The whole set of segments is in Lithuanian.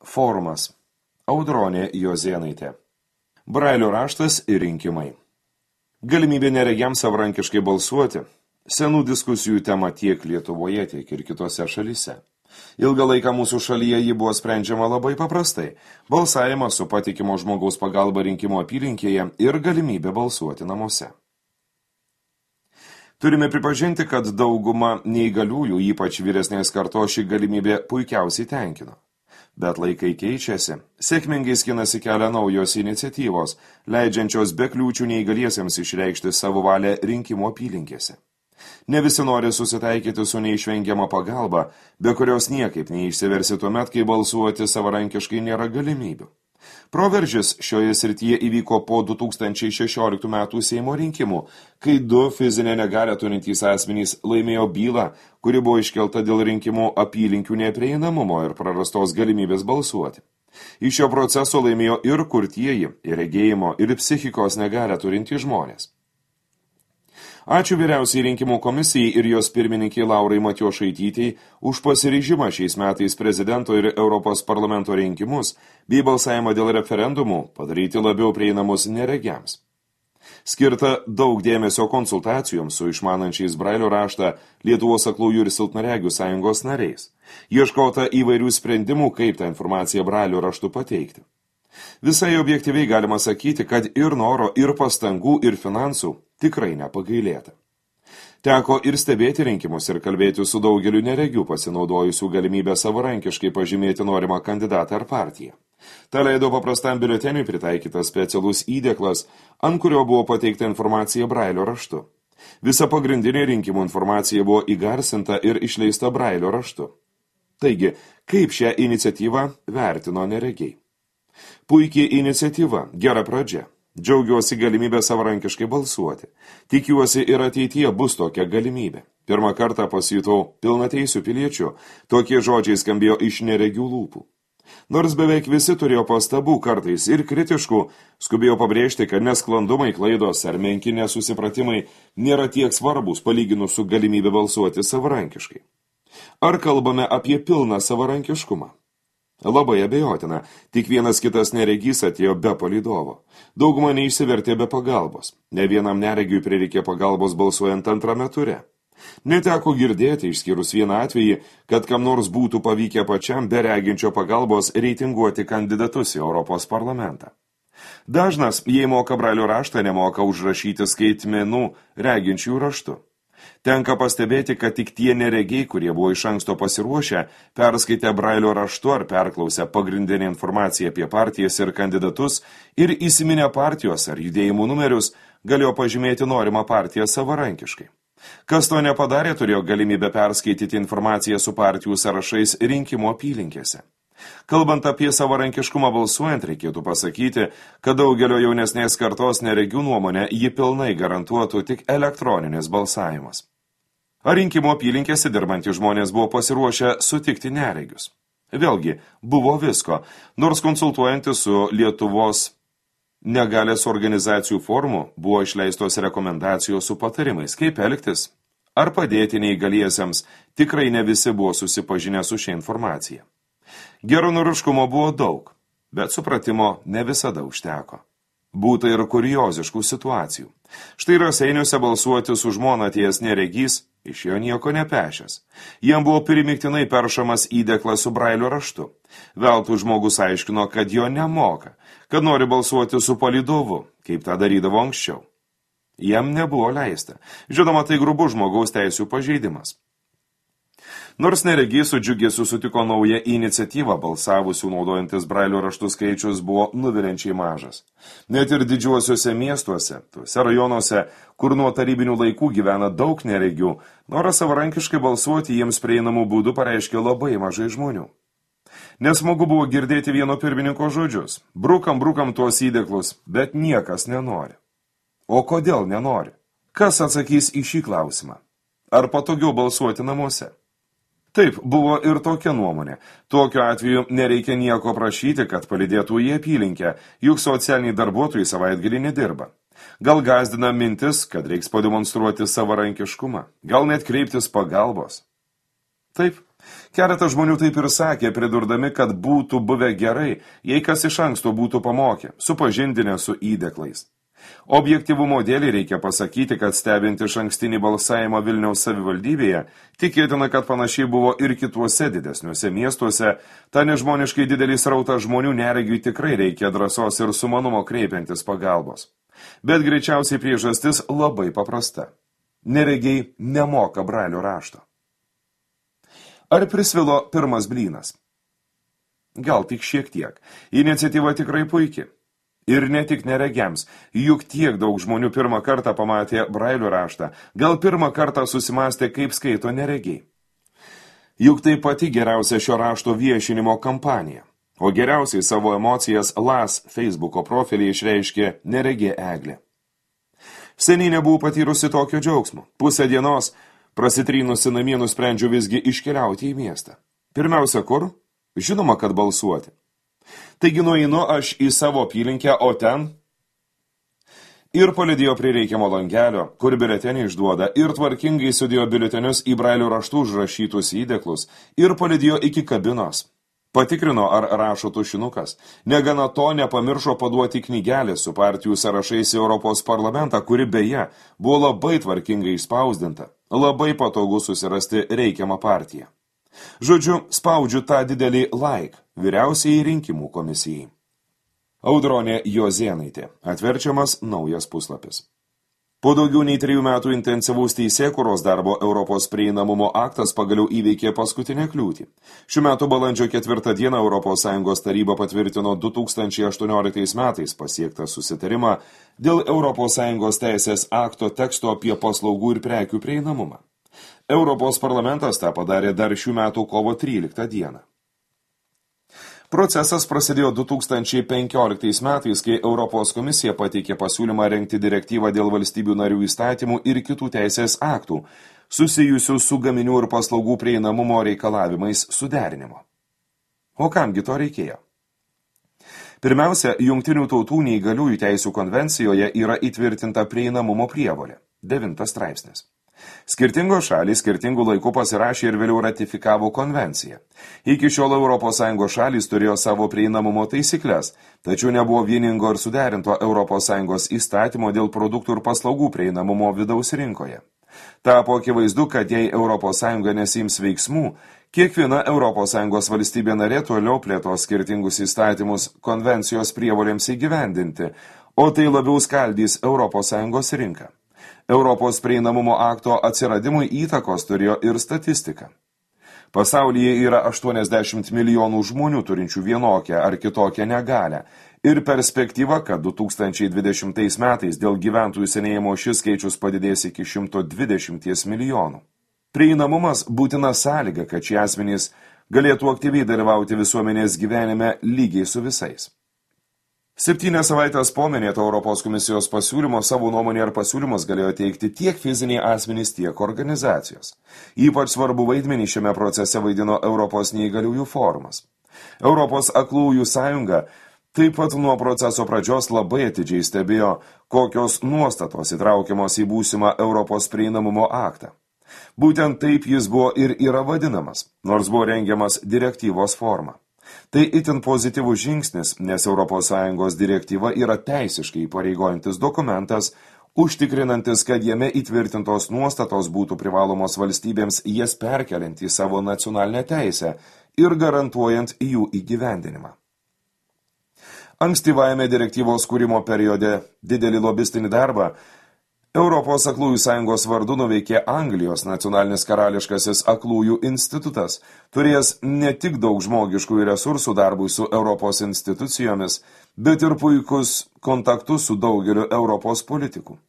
Forumas. Audronė Jozėnaitė. Brailio raštas ir rinkimai. Galimybė neregiams savarankiškai balsuoti. Senų diskusijų tema tiek Lietuvoje, tiek ir kitose šalyse. Ilgą laiką mūsų šalyje ji buvo sprendžiama labai paprastai. Balsavimas su patikimo žmogaus pagalba rinkimo apylinkėje ir galimybė balsuoti namuose. Turime pripažinti, kad dauguma neįgaliųjų, ypač vyresnės kartos, ši galimybė puikiausiai tenkino. Bet laikai keičiasi, sėkmingai skinasi kelią naujos iniciatyvos, leidžiančios be kliūčių neįgaliesiems išreikšti savo valią rinkimų apylinkėse. Ne visi nori susitaikyti su neišvengiama pagalba, be kurios niekaip neišsiversi tuomet, kai balsuoti savarankiškai nėra galimybių. Proveržis šioje srityje įvyko po 2016 metų Seimo rinkimų, kai 2 fizinę negalią turintys asmenys laimėjo bylą, kuri buvo iškelta dėl rinkimų apylinkių neprieinamumo ir prarastos galimybės balsuoti. Iš šio proceso laimėjo ir kurtieji, ir regėjimo, ir psichikos negalią turintys žmonės. Ačiū vyriausiai rinkimų komisijai ir jos pirmininkiai Laurai Matjošaitytei už pasiryžimą šiais metais prezidento ir Europos parlamento rinkimus bei balsavimą dėl referendumų padaryti labiau prieinamus neregiams. Skirta daug dėmesio konsultacijoms su išmanančiais Brailio raštą Lietuvos aklųjų ir silpnaregių sąjungos nariais. Ieškota įvairių sprendimų, kaip tą informaciją Brailio raštu pateikti. Visai objektyviai galima sakyti, kad ir noro, ir pastangų, ir finansų tikrai nepagailėta. Teko ir stebėti rinkimus ir kalbėti su daugeliu neregių pasinaudojusių galimybę savarankiškai pažymėti norimą kandidatą ar partiją. Ta leido paprastam biuleteniui pritaikytas specialus įdėklas, ant kurio buvo pateikta informacija Brailio raštu. Visa pagrindinė rinkimų informacija buvo įgarsinta ir išleista Brailio raštu. Taigi, kaip šią iniciatyvą vertino neregiai? Puikiai iniciatyva, gera pradžia. Džiaugiuosi galimybę savarankiškai balsuoti. Tikiuosi ir ateityje bus tokia galimybė. Pirmą kartą pasijutau pilnateisių piliečių. Tokie žodžiai skambėjo iš neregių lūpų. Nors beveik visi turėjo pastabų, kartais ir kritiškų, skubėjo pabrėžti, kad nesklandumai, klaidos ar menki nesusipratimai nėra tiek svarbus palyginus su galimybė balsuoti savarankiškai. Ar kalbame apie pilną savarankiškumą? Labai abejotina, tik vienas kitas neregys atėjo be palydovo. Dauguma neišsivertė be pagalbos. Ne vienam neregiui prireikė pagalbos balsuojant antrame ture. Neteko girdėti, išskyrus vieną atvejį, kad kam nors būtų pavykę pačiam be reginčio pagalbos reitinguoti kandidatus į Europos parlamentą. Dažnas, jei moka Brailio raštą, nemoka užrašyti skaitmenų reginčių raštu. Tenka pastebėti, kad tik tie neregiai, kurie buvo iš anksto pasiruošę, perskaitę Brailio raštu ar perklausę pagrindinę informaciją apie partijas ir kandidatus ir įsiminę partijos ar judėjimų numerius, galėjo pažymėti norimą partiją savarankiškai. Kas to nepadarė, turėjo galimybę perskaityti informaciją su partijų sąrašais rinkimų apylinkėse. Kalbant apie savarankiškumą balsuojant, reikėtų pasakyti, kad daugelio jaunesnės kartos neregių nuomonę ji pilnai garantuotų tik elektroninis balsavimas. Ar rinkimų apylinkėse dirbantys žmonės buvo pasiruošę sutikti neregius? Vėlgi, buvo visko, nors konsultuojantis su Lietuvos negalės organizacijų forumu buvo išleistos rekomendacijos su patarimais, kaip elgtis, ar padėti neįgaliesiems, tikrai ne visi buvo susipažinę su šia informacija. Geranoriškumo buvo daug, bet supratimo ne visada užteko. Būta ir kurioziškų situacijų. Štai Raseiniuose balsuoti su žmona atėjęs neregys, iš jo nieko nepešęs. Jam buvo primiktinai peršamas įdėklas su Brailio raštu. Veltui žmogus aiškino, kad jo nemoka, kad nori balsuoti su palydovu, kaip tą darydavo anksčiau. Jam nebuvo leista. Žinoma, tai grubus žmogaus teisių pažeidimas. Nors neregys su džiugesiu sutiko naują iniciatyvą, balsavusių naudojantis Brailio raštų skaičius buvo nuviliančiai mažas. Net ir didžiuosiuose miestuose, tuose rajonuose, kur nuo tarybinių laikų gyvena daug neregių, noras savarankiškai balsuoti jiems prieinamų būdų pareiškė labai mažai žmonių. Nesmagu buvo girdėti vieno pirmininko žodžius. Brukam tuos įdėklus, bet niekas nenori. O kodėl nenori? Kas atsakys į šį klausimą? Ar patogiau balsuoti namuose? Taip, buvo ir tokia nuomonė. Tokiu atveju nereikia nieko prašyti, kad palydėtų į apylinkę, juk socialiniai darbuotojai savaitgalį nedirba. Gal gąsdina mintis, kad reiks pademonstruoti savarankiškumą, gal net kreiptis pagalbos. Taip, Keletas žmonių taip ir sakė, pridurdami, kad būtų buvę gerai, jei kas iš anksto būtų pamokę, supažindinę su įdeklais. Objektyvumo dėlį reikia pasakyti, kad stebint iš ankstinį balsavimą Vilniaus savivaldybėje, tikėtina, kad panašiai buvo ir kituose didesniuose miestuose, ta nežmoniškai didelį srautą žmonių neregiui tikrai reikia drąsos ir sumanumo kreipiantis pagalbos. Bet greičiausiai priežastis labai paprasta. Neregiai nemoka brailio rašto. Ar prisvilo pirmas blynas? Gal tik šiek tiek. Iniciatyva tikrai puikiai. Ir ne tik neregiams, juk tiek daug žmonių pirmą kartą pamatė brailio raštą, gal pirmą kartą susimastė, kaip skaito neregiai. Juk tai pati geriausia šio rašto viešinimo kampanija, o geriausiai savo emocijas LAS Facebooko profilį išreiškė neregė Eglė. Seniai nebuvau patyrusi tokio džiaugsmo. Pusę dienos, prasitrynusi namie, nusprendžiu visgi iškeliauti į miestą. Pirmiausia, kur? Žinoma, kad balsuoti. Taigi nueinu aš į savo apylinkę, o ten ir palydėjo prie reikiamo langelio, kur biuletenį išduoda, ir tvarkingai sudėjo biuletenius į brailio raštų užrašytus įdeklus, ir palydėjo iki kabinos. Patikrino, ar rašo tušinukas. Negana to, nepamiršo paduoti knygelę su partijų sąrašais į Europos parlamentą, kuri beje buvo labai tvarkingai išspausdinta. Labai patogu susirasti reikiamą partiją. Žodžiu, spaudžiu tą didelį like vyriausiai rinkimų komisijai. Audronė Jozėnaitė. Atverčiamas naujas puslapis. Po daugiau nei 3 metų intensyvaus teisėkūros darbo Europos prieinamumo aktas pagaliau įveikė paskutinę kliūtį. Šių metų balandžio 4 dieną ES taryba patvirtino 2018 metais pasiektą susitarimą dėl ES teisės akto teksto apie paslaugų ir prekių prieinamumą. Europos parlamentas tą padarė dar šių metų kovo 13 dieną. Procesas prasidėjo 2015 metais, kai Europos komisija pateikė pasiūlymą rengti direktyvą dėl valstybių narių įstatymų ir kitų teisės aktų, susijusių su gaminių ir paslaugų prieinamumo reikalavimais suderinimo. O kamgi to reikėjo? Pirmiausia, Jungtinių tautų neįgaliųjų teisių konvencijoje yra įtvirtinta prieinamumo prievolė, 9 straipsnis. Skirtingos šalys skirtingų laikų pasirašė ir vėliau ratifikavo konvenciją. Iki šiol ES šalys turėjo savo prieinamumo taisyklės, tačiau nebuvo vieningo ir suderinto ES įstatymo dėl produktų ir paslaugų prieinamumo vidaus rinkoje. Tapo akivaizdu, kad jei ES nesiims veiksmų, kiekviena ES valstybė narė toliau plėtos skirtingus įstatymus konvencijos prievolėms įgyvendinti, o tai labiau skaldys ES rinką. Europos prieinamumo akto atsiradimui įtakos turėjo ir statistika. Pasaulyje yra 80 milijonų žmonių turinčių vienokią ar kitokią negalią ir perspektyva, kad 2020 metais dėl gyventojų senėjimo šis skaičius padidės iki 120 milijonų. Prieinamumas būtina sąlyga, kad šie asmenys galėtų aktyviai dalyvauti visuomenės gyvenime lygiai su visais. 7 savaitės po minėto Europos komisijos pasiūlymo savo nuomonę ar pasiūlymus galėjo teikti tiek fiziniai asmenys, tiek organizacijos. Ypač svarbu vaidmenį šiame procese vaidino Europos neįgaliųjų forumas. Europos aklųjų sąjunga taip pat nuo proceso pradžios labai atidžiai stebėjo, kokios nuostatos įtraukiamos į būsimą Europos prieinamumo aktą. Būtent taip jis buvo ir yra vadinamas, nors buvo rengiamas direktyvos forma. Tai itin pozityvus žingsnis, nes ES direktyva yra teisiškai įpareigojantis dokumentas, užtikrinantis, kad jame įtvirtintos nuostatos būtų privalomos valstybėms jas perkeliant į savo nacionalinę teisę ir garantuojant jų įgyvendinimą. Ankstyvajame direktyvos kūrimo periode didelį lobistinį darbą Europos aklųjų sąjungos vardu nuveikė Anglijos nacionalinis karališkasis aklųjų institutas, turės ne tik daug žmogiškų resursų darbui su Europos institucijomis, bet ir puikus kontaktus su daugeliu Europos politikų.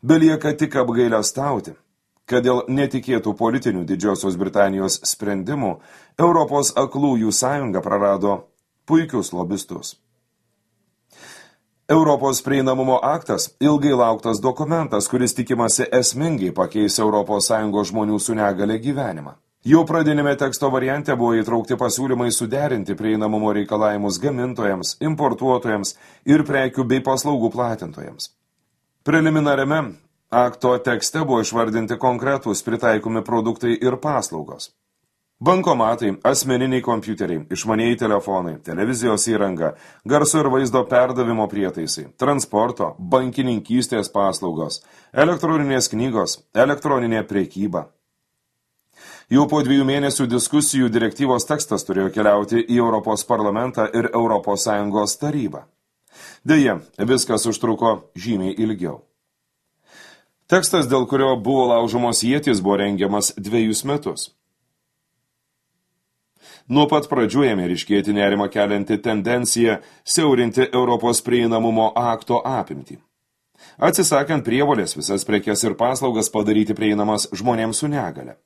Belieka tik apgailestauti, kad dėl netikėtų politinių Didžiosios Britanijos sprendimų Europos aklųjų sąjunga prarado puikius lobistus. Europos prieinamumo aktas – ilgai lauktas dokumentas, kuris tikimasi esmingai pakeis ES žmonių su negale gyvenimą. Jau pradinėme teksto variante buvo įtraukti pasiūlymai suderinti prieinamumo reikalavimus gamintojams, importuotojams ir prekių bei paslaugų platintojams. Preliminariame akto tekste buvo išvardinti konkretūs pritaikomi produktai ir paslaugos. Bankomatai, asmeniniai kompiuteriai, išmanieji telefonai, televizijos įranga, garso ir vaizdo perdavimo prietaisai, transporto, bankininkystės paslaugos, elektroninės knygos, elektroninė prekyba. Jau po 2 mėnesių diskusijų direktyvos tekstas turėjo keliauti į Europos parlamentą ir Europos Sąjungos tarybą. Deja, viskas užtruko žymiai ilgiau. Tekstas, dėl kurio buvo laužomos ietis, buvo rengiamas 2 metus. Nuo pat pradžių ėmė ryškėti nerimą kelianti tendencija siaurinti Europos prieinamumo akto apimtį. Atsisakant prievolės visas prekes ir paslaugas padaryti prieinamas žmonėms su negale.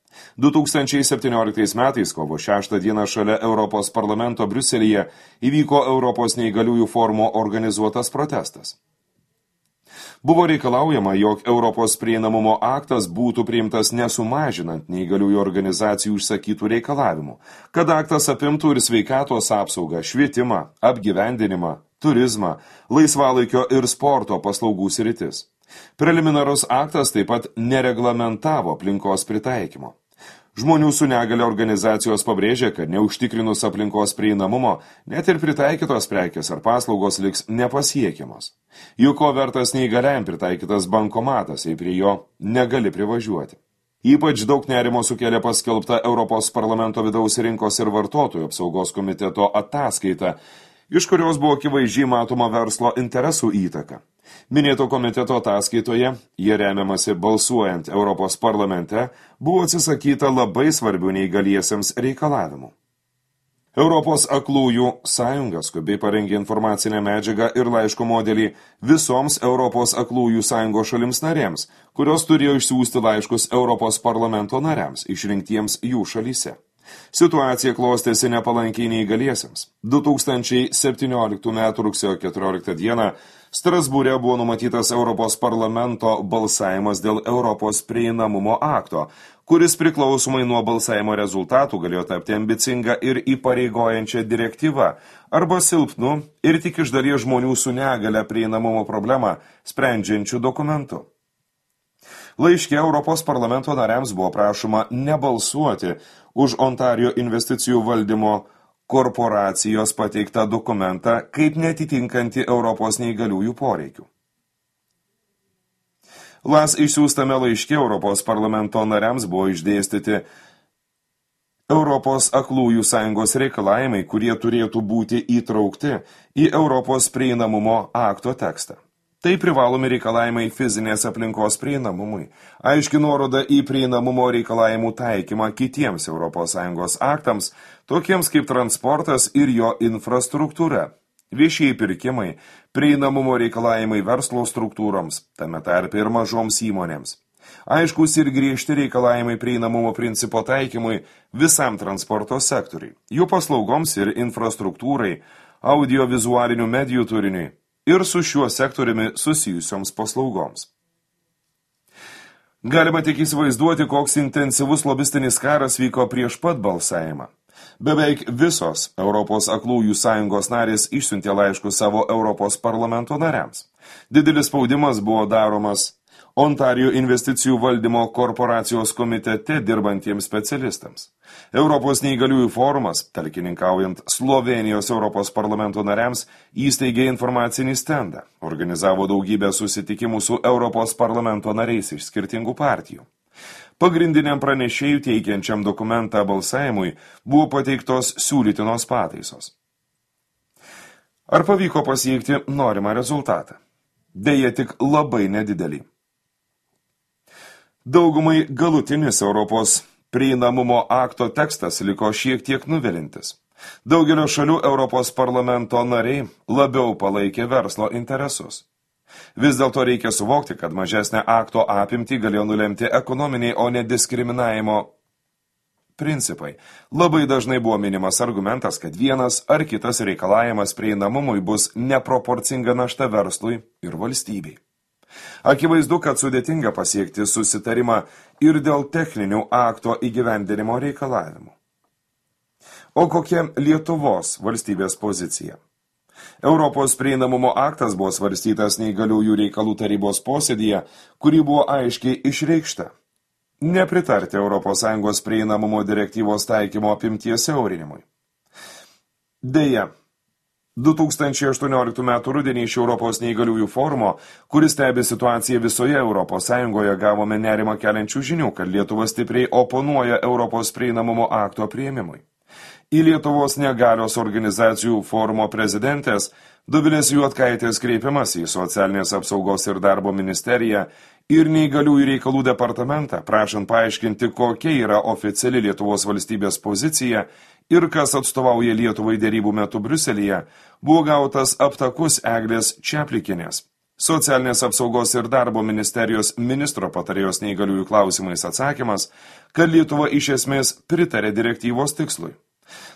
2017 metais kovo 6 dieną šalia Europos parlamento Briuselyje įvyko Europos neįgaliųjų forumo organizuotas protestas. Buvo reikalaujama, jog Europos prieinamumo aktas būtų priimtas nesumažinant neįgaliųjų organizacijų užsakytų reikalavimų, kad aktas apimtų ir sveikatos apsaugą, švietimą, apgyvendinimą, turizmą, laisvalaikio ir sporto paslaugų sritis. Preliminarus aktas taip pat nereglamentavo aplinkos pritaikymo. Žmonių su negale organizacijos pabrėžė, kad neužtikrinus aplinkos prieinamumo, net ir pritaikytos prekės ar paslaugos liks nepasiekiamos. Juk ko vertas neįgaliam pritaikytas bankomatas, jei prie jo negali privažiuoti. Ypač daug nerimo sukėlė paskelbta Europos parlamento vidaus rinkos ir vartotojų apsaugos komiteto ataskaita, iš kurios buvo akivaizdžiai matoma verslo interesų įtaka. Minėto komiteto ataskaitoje, jie remiamasi balsuojant Europos parlamente, buvo atsisakyta labai svarbių neįgaliesiems reikalavimų. Europos aklųjų sąjunga skubiai parengė informacinę medžiagą ir laiško modelį visoms Europos aklųjų sąjungos šalims narėms, kurios turėjo išsiųsti laiškus Europos parlamento nariams, išrinktiems jų šalyse. Situacija klostėsi nepalankiai neįgaliesiems. 2017 m. rugsėjo 14 d. Strasbūre buvo numatytas Europos parlamento balsavimas dėl Europos prieinamumo akto, kuris priklausomai nuo balsavimo rezultatų galėjo tapti ambicinga ir įpareigojančia direktyva arba silpnu ir tik iš dalies žmonių su negale prieinamumo problemą sprendžiančių dokumentų. Laiške Europos parlamento nariams buvo prašoma nebalsuoti už Ontarijo investicijų valdymo korporacijos pateiktą dokumentą kaip netitinkantį Europos neįgaliųjų poreikių. LAS išsiųstame laiške Europos parlamento nariams buvo išdėstyti Europos aklųjų sąjungos reikalavimai, kurie turėtų būti įtraukti į Europos prieinamumo akto tekstą. Tai privalomi reikalavimai fizinės aplinkos prieinamumui, aiški nuoroda į prieinamumo reikalavimų taikymą kitiems ES aktams, tokiems kaip transportas ir jo infrastruktūra, viešieji pirkimai, prieinamumo reikalavimai verslo struktūroms, tame tarpe ir mažoms įmonėms. Aiškus ir griežti reikalavimai prieinamumo principo taikymui visam transporto sektoriui, jų paslaugoms ir infrastruktūrai, audiovizualinių medijų turiniui ir su šiuo sektoriumi susijusioms paslaugoms. Galima tik įsivaizduoti, koks intensyvus lobistinis karas vyko prieš pat balsavimą. Beveik visos Europos aklųjų sąjungos narės išsiuntė laiškus savo Europos parlamento nariams. Didelis spaudimas buvo daromas Ontarijo investicijų valdymo korporacijos komitete dirbantiems specialistams. Europos neįgaliųjų forumas, talkininkaujant Slovenijos Europos parlamento nariams, įsteigė informacinį stendą, organizavo daugybę susitikimų su Europos parlamento nariais iš skirtingų partijų. Pagrindiniam pranešėjų teikiančiam dokumentą balsavimui buvo pateiktos siūlytinos pataisos. Ar pavyko pasiekti norimą rezultatą? Deja, tik labai nedidelį. Daugumai galutinis Europos prieinamumo akto tekstas liko šiek tiek nuvilintis. Daugelio šalių Europos parlamento nariai labiau palaikė verslo interesus. Vis dėlto reikia suvokti, kad mažesnę akto apimtį galėjo nulemti ekonominiai, o ne diskriminavimo principai. Labai dažnai buvo minimas argumentas, kad vienas ar kitas reikalavimas prieinamumui bus neproporcinga našta verslui ir valstybei. Akivaizdu, kad sudėtinga pasiekti susitarimą ir dėl techninių akto įgyvendinimo reikalavimų. O kokia Lietuvos valstybės pozicija? Europos prieinamumo aktas buvo svarstytas neįgaliųjų reikalų tarybos posėdyje, kuri buvo aiškiai išreikšta. nepritarti ES prieinamumo direktyvos taikymo apimties siaurinimui. Deja, 2018 m. rudenį iš Europos neįgaliųjų forumo, kuris stebi situaciją visoje ES, gavome nerimą keliančių žinių, kad Lietuva stipriai oponuoja Europos prieinamumo akto priėmimui. Į Lietuvos negalios organizacijų forumo prezidentės Dovilės Juodkaitės kreipimas į Socialinės apsaugos ir darbo ministeriją ir neįgaliųjų reikalų departamentą, prašant paaiškinti, kokia yra oficiali Lietuvos valstybės pozicija ir kas atstovauja Lietuvai dėrybų metu Briuselyje, buvo gautas aptakus Eglės Čeplikinės, Socialinės apsaugos ir darbo ministerijos ministro patarėjos neįgaliųjų klausimais atsakymas, kad Lietuva iš esmės pritarė direktyvos tikslui.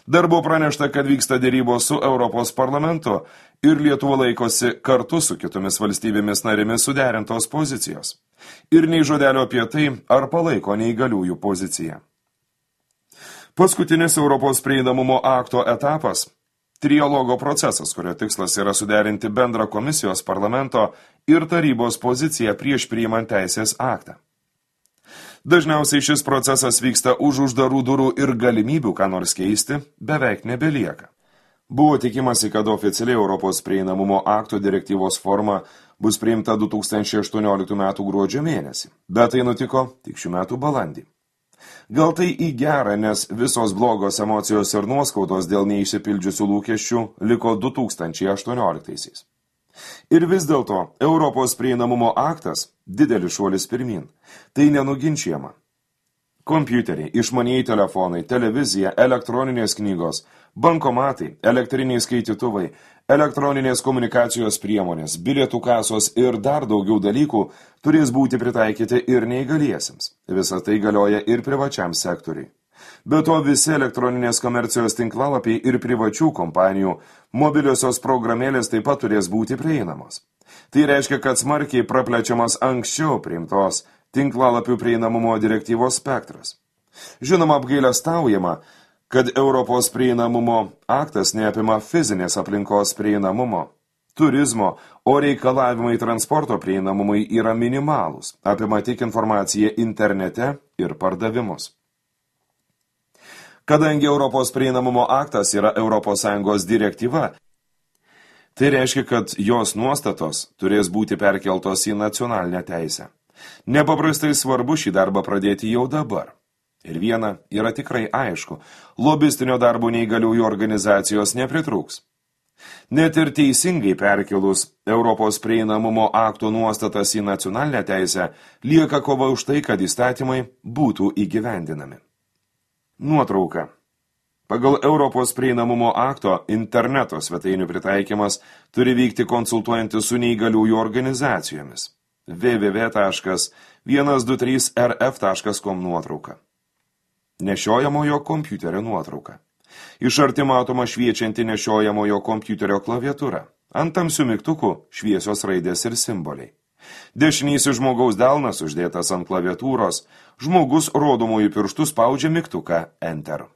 Dar buvo pranešta, kad vyksta dėrybos su Europos parlamentu ir Lietuva laikosi kartu su kitomis valstybėmis narėmis suderintos pozicijos. Ir nei žodelio apie tai, ar palaiko neįgaliųjų poziciją. Paskutinis Europos prieinamumo akto etapas – trialogo procesas, kurio tikslas yra suderinti bendrą komisijos, parlamento ir tarybos poziciją prieš priimant teisės aktą. Dažniausiai šis procesas vyksta už uždarų durų ir galimybių ką nors keisti beveik nebelieka. Buvo tikimasi, kad oficialiai Europos prieinamumo akto direktyvos forma bus priimta 2018 m. gruodžio mėnesį, bet tai nutiko tik šių metų balandį. Gal tai į gerą, nes visos blogos emocijos ir nuoskaudos dėl neišsipildžiusių lūkesčių liko 2018-aisiais. Ir vis dėlto Europos prieinamumo aktas – didelis šuolis pirmin. Tai nenuginčiama. Kompiuteriai, išmanieji telefonai, televizija, elektroninės knygos, bankomatai, elektriniai skaitytuvai, elektroninės komunikacijos priemonės, bilietų kasos ir dar daugiau dalykų turės būti pritaikyti ir neįgaliesiems. Visa tai galioja ir privačiam sektoriui. Be to visi elektroninės komercijos tinklalapiai ir privačių kompanijų mobiliosios programėlės taip pat turės būti prieinamos. Tai reiškia, kad smarkiai praplečiamas anksčiau priimtos tinklalapių prieinamumo direktyvos spektras. Žinoma, apgailestaujama, kad Europos prieinamumo aktas neapima fizinės aplinkos prieinamumo, turizmo, o reikalavimai transporto prieinamumui yra minimalūs, apima tik informaciją internete ir pardavimus. Kadangi Europos prieinamumo aktas yra ES direktyva, tai reiškia, kad jos nuostatos turės būti perkeltos į nacionalinę teisę. Nepaprastai svarbu šį darbą pradėti jau dabar. Ir viena yra tikrai aišku, lobistinio darbo neįgaliųjų organizacijos nepritrūks. Net ir teisingai perkelus Europos prieinamumo akto nuostatas į nacionalinę teisę, lieka kova už tai, kad įstatymai būtų įgyvendinami. Nuotrauka. Pagal Europos prieinamumo akto interneto svetainių pritaikymas turi vykti konsultuojantis su neįgaliųjų organizacijomis. www.123rf.com nuotrauka. Nešiojamojo kompiuterio nuotrauka. Iš arti matoma šviečianti nešiojamojo kompiuterio klaviatūra. Ant tamsių mygtukų šviesios raidės ir simboliai. Dešinysis žmogaus delnas uždėtas ant klaviatūros, žmogus rodomųjų pirštų spaudžia mygtuką Enter.